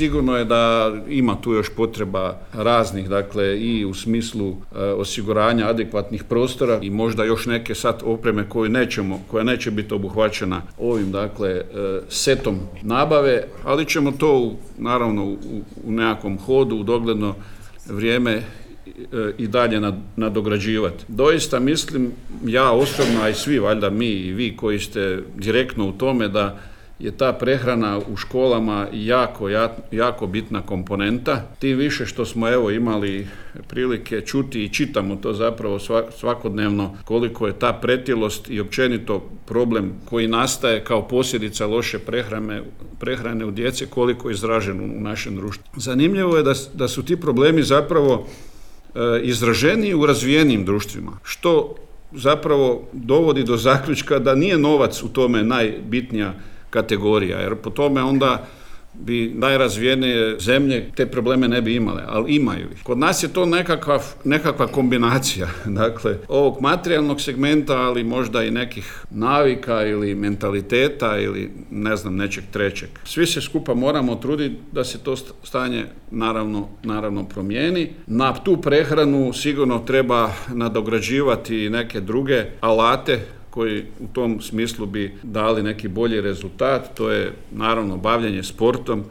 sigurno je da ima tu još potreba raznih, dakle i u smislu osiguranja adekvatnih prostora i možda još neke sad opreme koja neće biti obuhvaćena ovim, dakle, setom nabave, ali ćemo to naravno u nekakvom hodu, u dogledno vrijeme i dalje nadograđivati. Doista mislim, ja osobno, a i svi, valjda mi i vi koji ste direktno u tome, da je ta prehrana u školama jako bitna komponenta. Tim više što smo imali prilike čuti i čitamo to zapravo svakodnevno koliko je ta pretilost i općenito problem koji nastaje kao posljedica loše prehrane u djece, koliko je izražen u našem društvu. Zanimljivo je da su ti problemi zapravo izraženiji u razvijenim društvima, što zapravo dovodi do zaključka da nije novac u tome najbitnija kategorija, jer po tome onda bi najrazvijenije zemlje te probleme ne bi imale, ali imaju ih. Kod nas je to nekakva kombinacija, dakle, ovog materijalnog segmenta, ali možda i nekih navika ili mentaliteta ili ne znam, nečeg trećeg. Svi se skupa moramo truditi da se to stanje naravno promijeni. Na tu prehranu sigurno treba nadograđivati neke druge alate koji u tom smislu bi dali neki bolji rezultat. To je naravno bavljenje sportom,